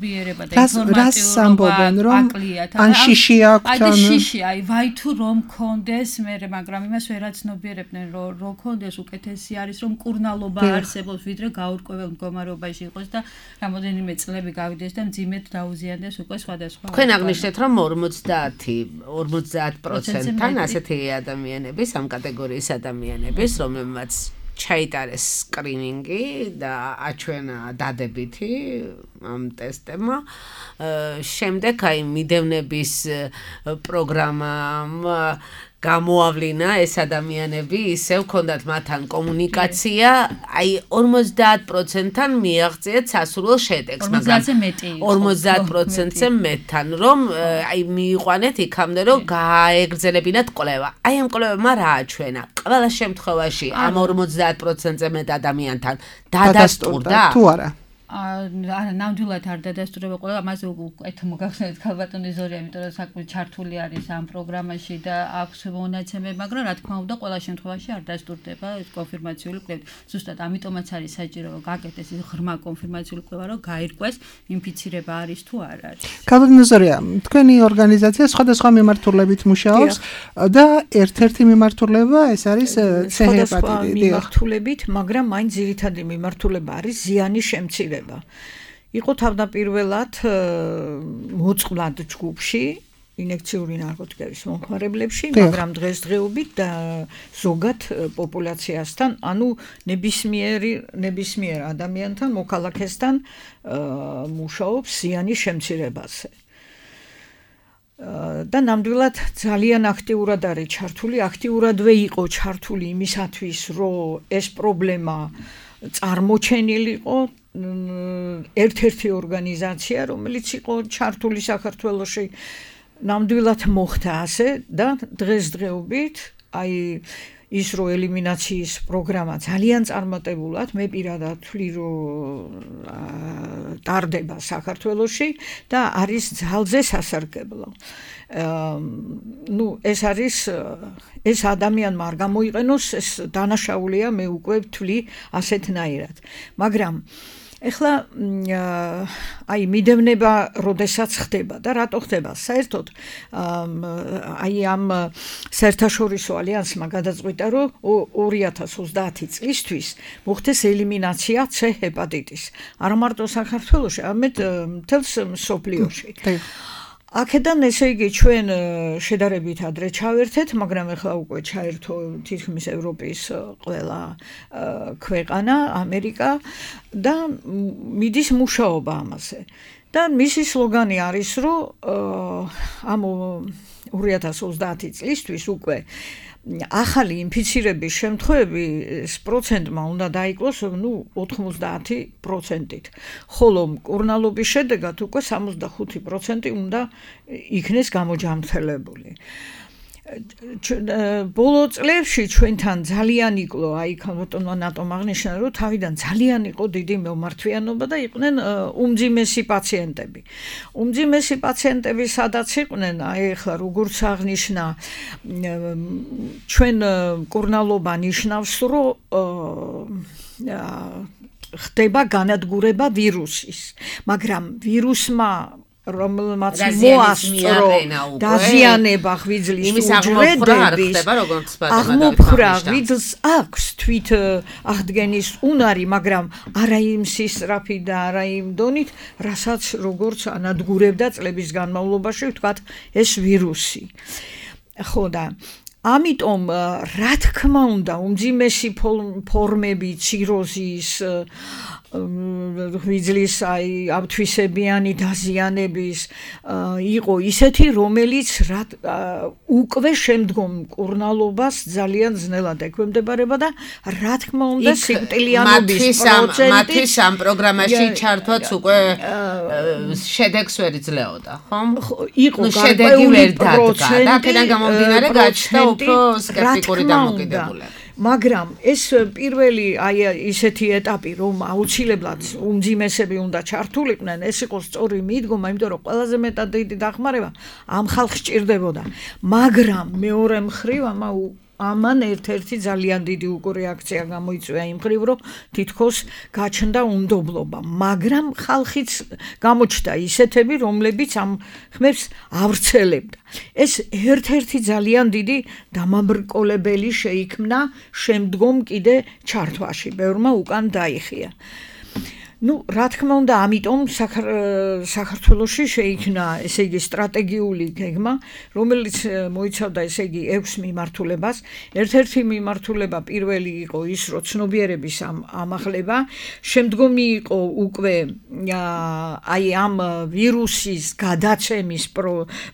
რას ამბობენ, რომ ან შიში აქვს, ან შიში, აი ვაი თუ რომ კონდეს მაგრამ იმას ვერაცნობიერებდნენ, რომ კონდეს უკეთესი არის, რომ მკურნალობა არსებობს, ვიდრე გაურკვეველ მდგომარეობაში იყოს და რამოდენიმე წლები გავიდეს და მძიმედ დაუზიანდეს უკვე სხვადასხვა. თქვენ აღნიშნეთ, რომ 50%-თან ასეთი ადამიანების, ამ კატეგორიის ადამიანების, რომელმაც ჩაიტარეს სკრინინგი და აჩვენა დადებითი ამ ტესტებმა. შემდეგ აი მიდევნების პროგრამამ გამოავლინა ეს ადამიანები, ისევ ჰქონდათ მათთან კომუნიკაცია, აი 50%-თან მიაღწიეთ სასურველ შედეგს, მაგრამ 50%-ზე მეტთან, რომ აი მიიყვანეთ იქამდე, რომ გაეგრძელებინათ კვლევა. აი ამ კვლევებმა რა აჩვენა? ყველა შემთხვევაში ამ 50%-ზე მეტ ადამიანთან დადასტურდა თუ არა? ნამდვილად არ დადასტურება ყველა, ამაზე უკეთ მოგახსენეთ ქალბატონი ზორია, იმიტომ რომ საკმაოდ ჩართული არის ამ პროგრამაში და აქვს მონაცემები, მაგრამ რა თქმა უნდა, ყველა შემთხვევაში არ დასტურდება ეს კონფირმაციული კვლევა. ზუსტად ამიტომაც არის საჭირო რომ გაკეთდეს ეს ღრმა კონფირმაციული კვლევა, რომ გაირკვეს ინფიცირება არის თუ არ არის. ქალბატონი ზორია, თქვენი ორგანიზაცია სხვადასხვა მიმართულებით მუშაობს და ერთ-ერთი მიმართულება ეს არის C ჰეპატიტი. მიმართულებით, მაგრამ მაინც ძირითადი მიმართულება არის ზიანის შემცირება. იყო თავდაპირველად მოწყვლად ჯგუფში ინექციური ნარკოტიკების მომხმარებლებში, მაგრამ დღესდღეობით და ზოგად პოპულაციასთან, ანუ ნებისმიერ ადამიანთან, მოქალაქესთან მუშაობს ზიანის შემცირებაზე. და ნამდვილად ძალიან აქტიურად არის ჩართული, აქტიურადვე იყო ჩართული იმისათვის, რომ ეს პრობლემა წარმოჩენილიყო ერთ-ერთი ორგანიზაცია, რომელიც იყო ჩართული საქართველოში, ნამდვილად მოხდა ასე და დღესდღეობით აი ის რო ელიმინაციის პროგრამა ძალიან წარმატებულად, მე პირადად ვთვლი, რომ ტარდება საქართველოში და არის ძალზე სასარგებლო. ეს არის ეს ადამიანმა არ გამოიყენოს, ეს დანაშაულია, მე უკვე ვთვლი ასეთნაირად. მაგრამ ეხლა აი მიდევნება როდესაც ხდება და რატო ხდება? საერთოდ აი ამ საერთაშორისო ალიანსმა გადაწყვიტა, რომ 2030 წლისთვის მოხდეს ელიმინაცია C ჰეპატიტის. არა მარტო საქართველოში, არამედ მთელს მსოფლიოში. აქედან ესე იგი ჩვენ შედარებით ადრე ჩავერთეთ, მაგრამ ეხლა უკვე ჩაერთო თითქმის ევროპის ყველა ქვეყანა, ამერიკა და მიდის მუშაობა ამაზე. და მისი სლოგანი არის, რომ ამ 2030 წლისთვის უკვე ახალი ინფიცირების შემთხვევების პროცენტმა უნდა დაიკლოს 90%-ით, ხოლო მკურნალობის შედეგად უკვე 65% უნდა იქნეს გამოჯამრთელებული. ბოლო წლებში ჩვენთან ძალიან იკლო აი ბატონმა ნატომ აღნიშნა რომ თავიდან ძალიან იყო დიდი მემართვიანობა და იყვნენ უმძიმესი პაციენტები. უმძიმესი პაციენტები სადაც იყვნენ, აი ახლა როგორც აღნიშნა ჩვენ მკურნალობა ნიშნავს რომ ხდება განადგურება ვირუსის, მაგრამ ვირუსმა რომელმაც მოასწრო დაზიანება ღვიძლის უჯრედების აღმოფხვრა ღვიძლს აქვს თვით აღდგენის უნარი, მაგრამ არა იმ სისწრაფით და არა იმ დონით, რასაც როგორც ანადგურებდა წლების განმავლობაში, ვთქვათ, ეს ვირუსი. ხო და ამიტომ რა თქმა უნდა უმძიმესი ფორმები ციროზის ღვიძლის აი აბთვისებიანი დაზიანების იყო ისეთი, რომელიც უკვე შემდგომ მკურნალობას ძალიან ძნელად ექვემდებარება და რა თქმა უნდა სიკვდილიანობის პროცენტი მათთვის ამ პროგრამაში ჩართვაც უკვე შედეგს ვერ იძლეოდა, ხომ? იყო გარკვეული პროცენტი და აქედან გამომდინარე გაჩნდა უფრო სკეპტიკური დამოკიდებულება. მაგრამ ეს პირველი აი ისეთი ეტაპი, რომ აუცილებლად უმძიმესები უნდა ჩართულიყვნენ, ეს იყო სწორი მიდგომა, იმიტომ რომ ყველაზე მეტად დიდი დახმარება ამ ხალხს ჭირდებოდა. მაგრამ მეორე მხრივ ამან ერთ-ერთი ძალიან დიდი უკვე რეაქცია გამოიწვია იმ მხრივ, რომ თითქოს გაჩნდა უნდობლობა, მაგრამ ხალხიც გამოჩნდა ისეთები, რომლებიც ამ ხმებს ავრცელებდა. ეს ერთ-ერთი ძალიან დიდი დამაბრკოლებელი შეიქმნა შემდგომ კიდე ჩართვაში, ბევრმა უკან დაიხია. რა თქმა უნდა, ამიტომ საქართველოში შეიქმნა, ესე იგი, სტრატეგიული გეგმა, რომელიც მოიცავდა, ესე იგი, 6 მიმართულებას. ერთ-ერთი მიმართულება პირველი იყო ის, რომ ცნობიერების ამაღლება, შემდგომი იყო უკვე აი ამ ვირუსის გადაცემის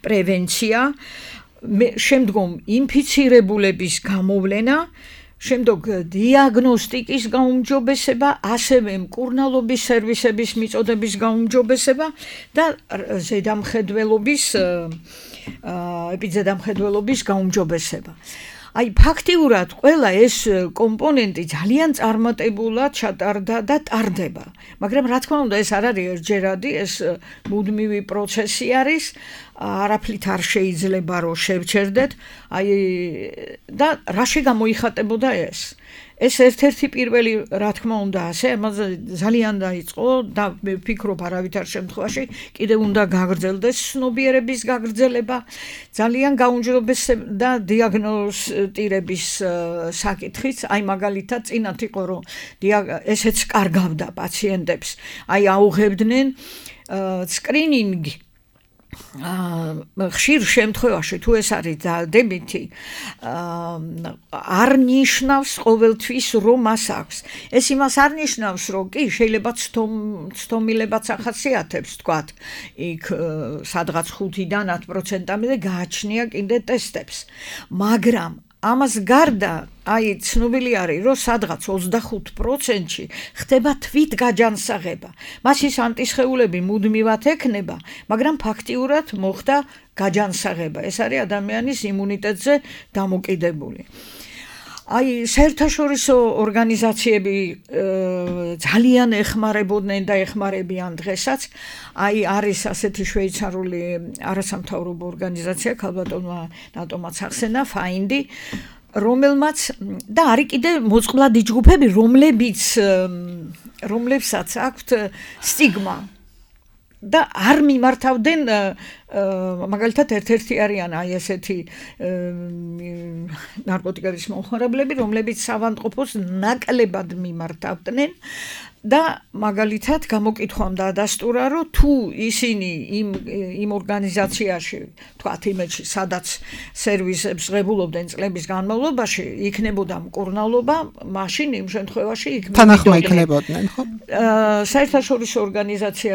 პრევენცია, შემდგომ ინფიცირებულების გამოვლენა, შემდგომ დიაგნოსტიკის გაუმჯობესება, ასევე მკურნალობის სერვისების მიწოდების გაუმჯობესება და ეპიზედამხედველობის გაუმჯობესება. აი ფაქტიურად ყველა ეს კომპონენტი ძალიან წარმატებულად ჩატარდა და ტარდება. მაგრამ რა თქმა უნდა ეს არ არის ერთჯერადი, ეს მუდმივი პროცესი არის, არაფრით არ შეიძლება რომ შევჩერდეთ, აი და რაში გამოიხატებოდა ეს? ეს ერთ-ერთი პირველი, რა თქმა უნდა, ასე, ამაზე ძალიან დაიწყო და მე ვფიქრობ არავითარ შემთხვევაში კიდევ უნდა გაგრძელდეს ცნობიერების გაგრძელება, ძალიან გაუმჯობესდა დიაგნოსტირების საკითხიც, აი მაგალითად წინათ იყო რომ ესეც კარგავდა პაციენტებს, აი აუღებდნენ სკრინინგი ხშირ შემთხვევაში თუ ეს არის დადებითი არ ნიშნავს ყოველთვის რომ მას აქვს. ეს იმას არ ნიშნავს რომ კი შეიძლება ცდომილებაც ახასიათებს თქვათ იქ სადღაც 5-დან 10%-მდე გააჩნია კიდე ტესტებს. მაგრამ ამას გარდა აი ცნობილი არის რომ სადღაც 25%-ში ხდება თვით გაჯანსაღება. მასის ანტისხეულები მუდმივად ექნება, მაგრამ ფაქტიურად მოხდა გაჯანსაღება. ეს არის ადამიანის იმუნიტეტზე დამოკიდებული. აი საერთაშორისო ორგანიზაციები ძალიან ეხმარებოდნენ და ეხმარებიან დღესაც. აი არის ასეთი შვეიცარიული არასამთავრობო ორგანიზაცია, ქალბატონმა ნატომაც ახსენა, ფაინდი, რომელმაც და არის კიდე მოწყვლადი ჯგუფები, რომლებსაც აქვთ სტიგმა და არ მიმართავდნენ მაგალითად ერთ-ერთი არიან აი ესეთი ნარკოტიკების მომხმარებლები, რომლებიც ავადმყოფოს ნაკლებად მიმართავდნენ და მაგალითად გამოკითხვამ დაადასტურა, რომ თუ ისინი იმ ორგანიზაციაში, თქვათ იმედში, სადაც სერვისებს ღებულობდნენ წლების განმავლობაში, იქნებოდა მკურნალობა, მაშინ იმ შემთხვევაში თანახმა იქნებოდნენ, ხო? საერთაშორისო ორგანიზაცია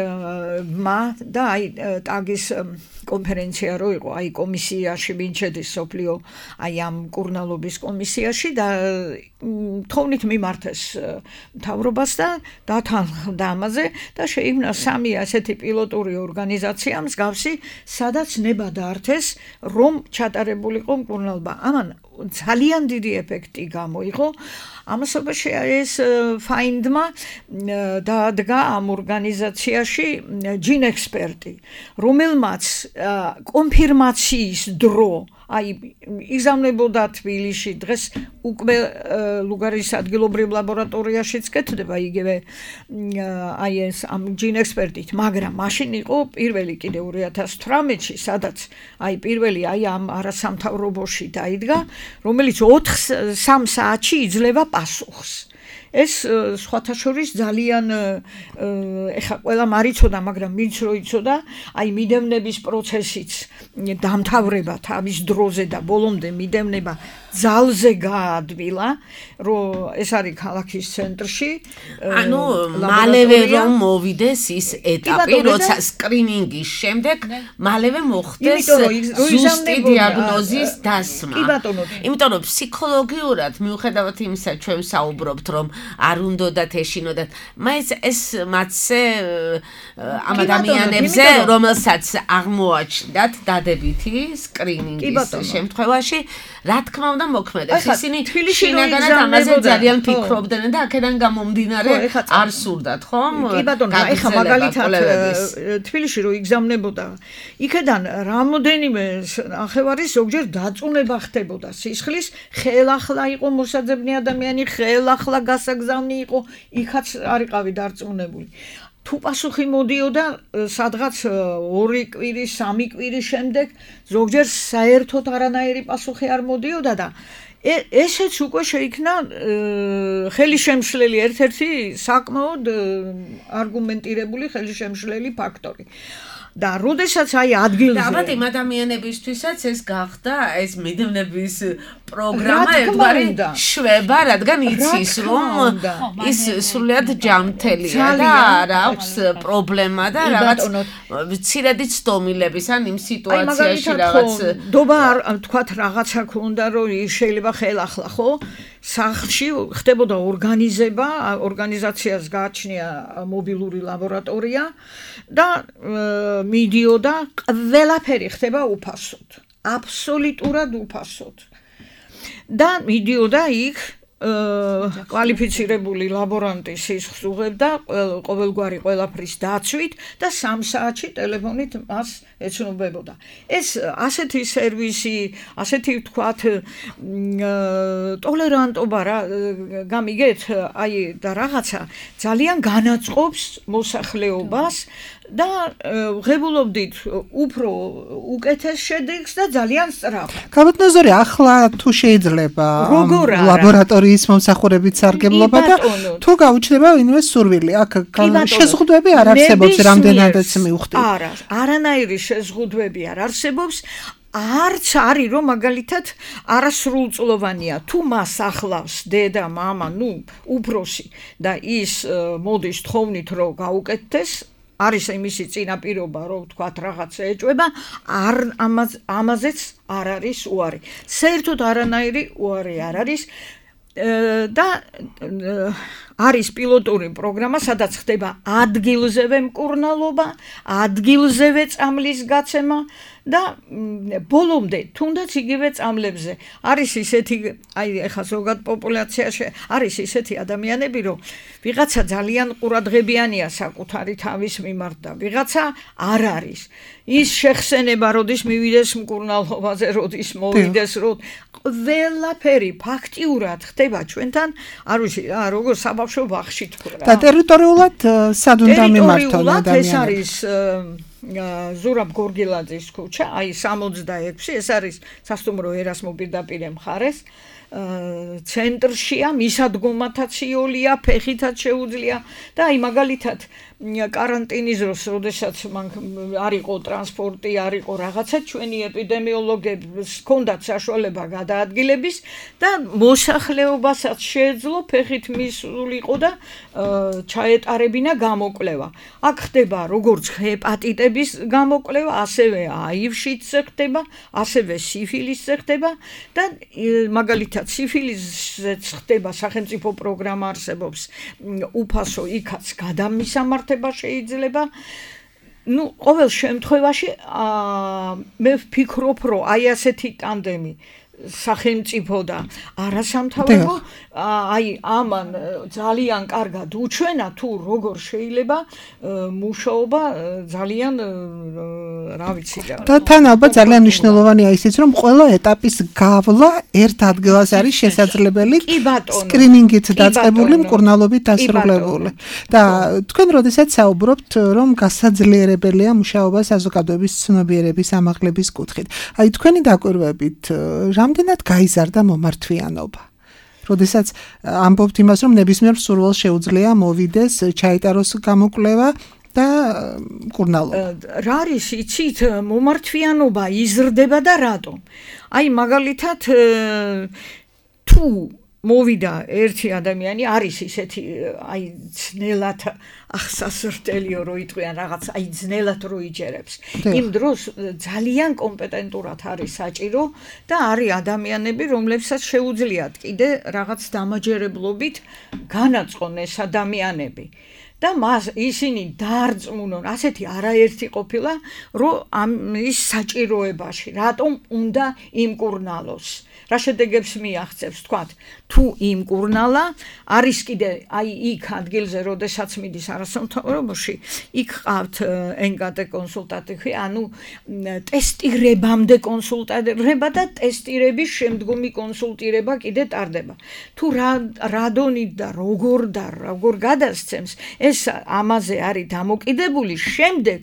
და აი ტაგის კონფერენცია რო იყო, აი კომისიაში ვინ შედის სოფლიო, აი ამ კურნალობის კომისიაში და თოვნით მიმართეს მთავრობას და დათანხმდა ამაზე და შეიქმნა 3 ასეთი პილოტური ორგანიზაცია მსგავსი, სადაც ნება დაართეს, რომ ჩატარებულიყო მკურნალობა. ამან ძალიან დიდი ეფექტი გამოიღო. ამასობაში ეს ფაინდმა დაადგა ამ ორგანიზაციაში ჯინ ექსპერტი, რომელმაც კონფირმაციის დრო აი იგზავნებოდა თბილისში, დღეს უკვე ლუგარის ადგილობრივ ლაბორატორიაშიც კეთდება იგივე აი ეს ამ ჯინ ექსპერტით, მაგრამ მაშინ იყო პირველი კიდე 2018-ში, სადაც აი პირველი აი ამ არასამთავრობოში დაიდგა, რომელიც 3 საათში იძლევა პასუხს. ეს სხვათა შორის ძალიან ეხა ყველა მარიცოდა, მაგრამ ვინც რო იცოდა, აი მიდევნების პროცესიც დამთავრება თავის დროზე და ბოლომდე მიდევნება ძალზე გაადვილა, რომ ეს არის ქალაქის ცენტრში. ანუ მალევე რომ მოვიდეს ის ეტაპი, როცა სკრინინგის შემდეგ მალევე მოხდეს ზუსტი დიაგნოზის დასმა. იმიტომ რომ ფსიქოლოგიურად მიუხედავად იმისა, ჩვენ საუბრობთ, რომ არ უნდათ ეშინოდათ, მაინც ეს მათზე ამ ადამიანებზე, რომელსაც აღმოაჩნდათ დადებითი სკრინინგის შემთხვევაში, რა თქმა უნდა მოქმედებს. ისინი შინაგანად ამაზე ძალიან ფიქრობდნენ და აქედან გამომდინარე არ სურდათ, ხომ? კი ბატონო, ეხა მაგალითად თბილისში რო იგზავნებოდა, იქედან რამოდენიმე ნახევარი ზოგჯერ დაწუნება ხდებოდა სისხლის, ხელახლა იყო მოსაძებნი ადამიანი, ხელახლა გასაგზავნი იყო, იქაც არიყავი დარწმუნებული. თუ პასუხი მოდიოდა სადღაც 2 კვირის, 3 კვირის შემდეგ, ზოგჯერ საერთოდ არანაირი პასუხი არ მოდიოდა და ესეც უკვე შეიქმნა ხელისშემშლელი ერთ-ერთი საკმაოდ არგუმენტირებული ხელისშემშლელი ფაქტორი. და როდესაც აი ადგილზე ალბათ იმ ადამიანებისთვისაც ეს გახდა ეს მიდევნების პროგრამა ერთგვარი შვება, რადგან იცის რომ ის სრულიად ჯამთელია და არ აქვს პრობლემა და რაღაც მცირედი ცდომილების ან იმ სიტუაციაში რაღაც დობა თქვათ რაღაცა ქონდა, რომ შეიძლება ხელახლა ხო სახლში ხდებოდა ორგანიზება, ორგანიზაციას გააჩნია მობილური ლაბორატორია და მიდიოდა ყველაფერი ხდება უფასოდ, აბსოლუტურად უფასოდ. და მიდიოდა იქ კვალიფიცირებული ლაბორანტი სისხლს უღებდა ყოველგვარი ყველაფრის დაცვით და 3 საათში ტელეფონით მას ეცნობებოდა. ეს ასეთი სერვისი, ასეთი ვთქვათ ტოლერანტობა რა გამიგეთ, აი და რაღაცა ძალიან განაწყობს მოსახლეობას და ღებულობდით უფრო უკეთეს შედეგს და ძალიან სწრაფად. კაბატონოზორი, ახლა თუ შეიძლება ლაბორატორიის მომსახურებით სარგებლობა და თუ გაუჩნდება ვინმე სურვილი, აქ შეზღუდვები არ არსებობს, რამდენადაც მივხვდი. არა, არანაირი შეზღუდვები არ არსებობს. არც არის რომ მაგალითად არასრულწლოვანია, თუ მას ახლავს დედა, მამა, ნუ უფროსი და ის მოდის თხოვნით რომ გაუკეთდეს, არის იმისი წინაპირობა, რომ თქვათ რაღაც ეჭვება, ამაზეც არ არის უარი. საერთოდ არანაირი უარი არ არის და არის პილოტური პროგრამა, სადაც ხდება ადგილზევე მკურნალობა, ადგილზევე წამლის გაცემა და ბოლომდე თუნდაც იგივე წამლებზე არის ისეთი, აი ეხლა ზოგად პოპულაციაში არის ისეთი ადამიანები, რომ ვიღაცა ძალიან ყურადღებიანია საკუთარი თავის მიმართ და ვიღაცა არ არის. ის შეხსენება როდის მივიდეს მკურნალობაზე, როდის მოვიდეს, ყველაფერი ფაქტიურად ხდება ჩვენთან, არ ვიცი, როგორ საბავშვო ბაღში თქვა. და ტერიტორიულად სად უნდა მიმართონ ადამიანები? ეს არის ზურაბ გორგილაძის ქუჩა, აი 66, ეს არის სასტუმრო ერასმო პირდაპირ მხარეს ცენტრშია, მისადგომათაც იოლია, ფეხითაც შეუძლია და აი მაგალითად каранტინის დროს, როდესაც მან არ იყო ტრანსპორტი, არ იყო რაღაცა, ჩვენი ეპიდემიოლოგებს ჰქონდათ საშუალება გადაადგილების და მოსახლეობასაც შეეძლო ფეხით მისულიყო და ჩაეტარებინა გამოკვლევა. აქ ხდება როგორც ჰეპატიტების გამოკვლევა, ასევე HIV-შიც ხდება, ასევე სიფილისზე ხდება და მაგალითად სიფილისზეც ხდება სახელმწიფო პროგრამა არსებობს, უფასო იქაც გადამისამართება შეიძლება. ყოველ შემთხვევაში მე ვფიქრობ, რომ აი ასეთი ტანდემი სახელმწიფო და არასამთავრობო აი ამან ძალიან კარგად უჩვენა თუ როგორ შეიძლება მუშაობა ძალიან რა ვიცი და თან ალბათ ძალიან მნიშვნელოვანია ისიც რომ ყველა ეტაპის გავლა ერთ ადგილას არის შესაძლებელი სკრინინგით დაწყებული მკურნალობით დასრულებული და თქვენ როდესაც საუბრობთ რომ გასაძლიერებელია მუშაობა საზოგადოების ცნობიერების ამაღლების კუთხით აი თქვენი დაკვირვებით რამდენად გაიზარდა მომართვიანობა როდესაც ამბობთ იმას რომ ნებისმიერ მსურველს შეუძლია მოვიდეს ჩაიტაროს გამოკვლევა და მკურნალობა რა არის იცით მომართვიანობა იზრდება და რატომ აი მაგალითად თუ მოვიდა ერთი ადამიანი არის ისეთი აი ძნელად ახსასრტელიო რო იტყვიან რაღაც აი ძნელად რო იჯერებს იმ დროს ძალიან კომპეტენტურად არის საჭირო და არის ადამიანები რომლებსაც შეუძლიათ კიდე რაღაც დამაჯერებლობით განაწყონ ეს ადამიანები და მას ისინი დაარწმუნონ ასეთი არაერთი ყოფილა რომ ამის საჭიროებაში რატომ უნდა იმკურნალოს რა შედეგებს მიაღწევს თქვათ თუ იმკურნალა არის კიდე აი იქ ადგილზე როდესაც მიდის არასამთავრობოში იქ ყავთ NKT კონსულტატი ანუ ტესტირებამდე კონსულტირება და ტესტირების შემდგომი კონსულტირება კიდე ტარდება თუ რა დონით და როგორ გადასცემს ეს ამაზე არის დამოკიდებული შემდეგ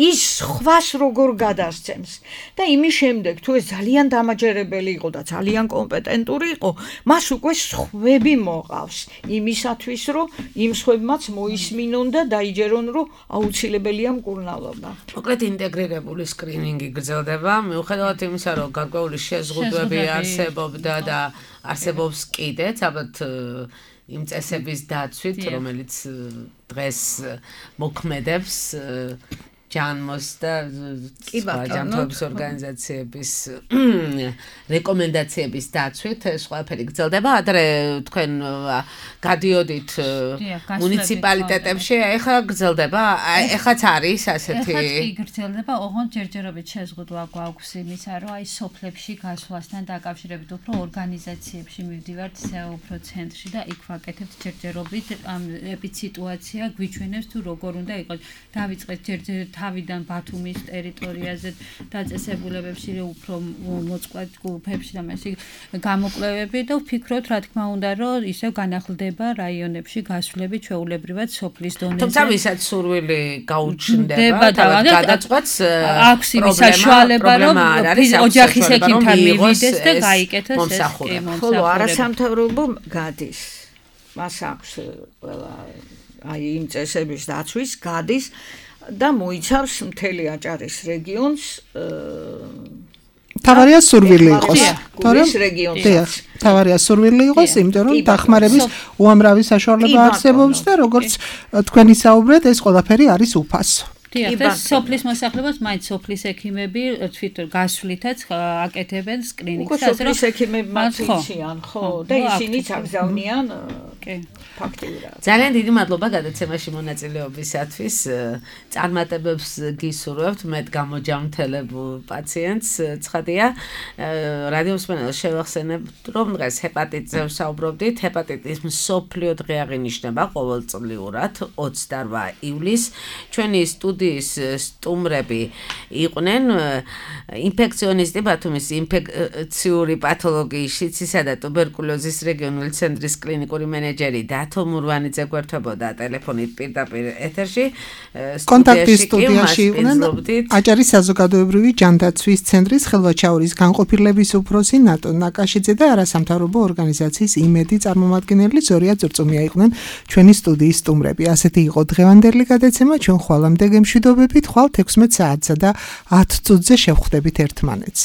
ის ხვას როგორ გადასცემს და იმის შემდეგ თუ ეს ძალიან დამაჯერებელი იყო და ძალიან კომპეტენტური იყო მას უკვე სხვები მოყავს იმისათვის რომ იმ სხვებმაც მოისმინონ და დაიჯერონ რომ აუცილებელია მკურნალობა მოკლედ ინტეგრირებული სკრინინგი გრძელდება მიუხედავად იმისა რომ გარკვეული შეზღუდვები არსებობდა და არსებობს კიდეც ალბათ იმ წესების დაცვით რომელიც დღეს მოქმედებს ჯანმოს და ჯანმრთელობის ორგანიზაციების რეკომენდაციების დაცვით ეს ყველაფერი გრძელდება ადრე თქვენ გადიოდით მუნიციპალიტეტებში ეხლა გრძელდება ეხლაც არის ასეთი ეხლაც კი გრძელდება ოღონდ ჯერჯერობით შეზღუდვა გვაქვს იმისა რომ აი სოფლებში გასვლასთან დაკავშირებით უფრო ორგანიზაციებში მივდივართ უფრო ცენტრში და იქ ვაკეთებთ ჯერჯერობით ამ ეპიციტუაცია გვიჩვენებს თუ როგორ უნდა იყოს დავიწყეთ ჯერჯერობით თავიდან ბათუმის ტერიტორიაზე დაწესებულებებში უფრო მოწყვა ჯგუფებში და მასე გამოკვლევები და ვფიქრობთ რა თქმა უნდა რომ ისევ განახლდება რაიონებში გასვლები ჩვეულებრივად სოფლის დონეზე თუმცა ვისაც სურვილი გაუჩნდება გადაწყვეტს აქვს იმის საშუალება რომ ოჯახის ექიმთან მივიდეს და გაიკეთოს ეს ხოლო არასამთავრობო გადის მას აქვს ყველა აი იმ წესების დაცვის გადის და მოიცავს მთელი აჭარის რეგიონს თავარია სურვილი იყოს გულის რეგიონსაც თავარია სურვილი იყოს იმიტომ რომ დახმარების უამრავი საშუალება არსებობს და როგორც თქვენი საუბრეთ ეს ყველაფერი არის უფასო და სოფლის მოსახლეობას მაინც სოფლის ექიმები თვითონ გასვლითაც აკეთებენ სკრინინგს ასე რომ სოფლის ექიმები მათიციან ხო და ისინიც აგზავნიან ფაქტიურად ძალიან დიდი მადლობა გადაცემაში მონაწილეობისათვის წარმატებებს გისურვებთ მეტ გამოჯამრთელებულ პაციენტს ცხადია რადიო მსმენელს შევახსენებთ რომ დღეს ჰეპატიტზე ვსაუბრობდით ჰეპატიტის მსოფლიო დღე აღინიშნება ყოველწლიურად 28 ივლისს ჩვენი სტუდიის სტუმრები იყვნენ ინფექციონისტი ბათუმის ინფექციური პათოლოგიის შიცისა და ტუბერკულოზის რეგიონული ცენტრის კლინიკური მენეჯერი და ბათო მურვანიძე გვერდებოდა ტელეფონით პირდაპირ ეთერში. კონტაქტის სტუდიაში იყვნენ აჭარის საზოგადოებრივი ჯანდაცვის ცენტრის ხელვაჩაურის განყოფილების უფროსი ნატო ნაკაშიძე და არასამთავრობო ორგანიზაციის იმედი წარმომადგენელი ზორია წურწუმია იყვნენ ჩვენი სტუდიის სტუმრები. ასეთი იყო დღევანდელი გადაცემა, ჩვენ ხვალამდე გემშვიდობებით, ხვალ 16 საათსა და 10 წუთზე შევხვდებით ერთმანეთს.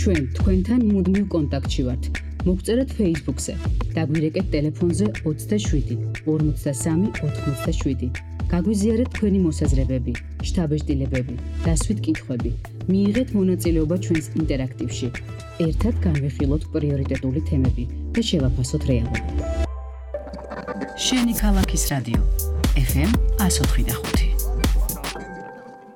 ჩვენ თქვენთან მუდმივ კონტაქტში ვართ. მოგწერეთ Facebook-ზე, დაგვირეკეთ ტელეფონზე 27 53 87. გაგვიზიარეთ თქვენი მოსაზრებები, შთაბეჭდილებები, დასვით კითხვები. მიიღეთ მონაწილეობა ჩვენს ინტერაქტივში. ერთად განვიხილოთ პრიორიტეტული თემები და შევაფასოთ რეალობა. შენი ქალაქის რადიო FM 104.5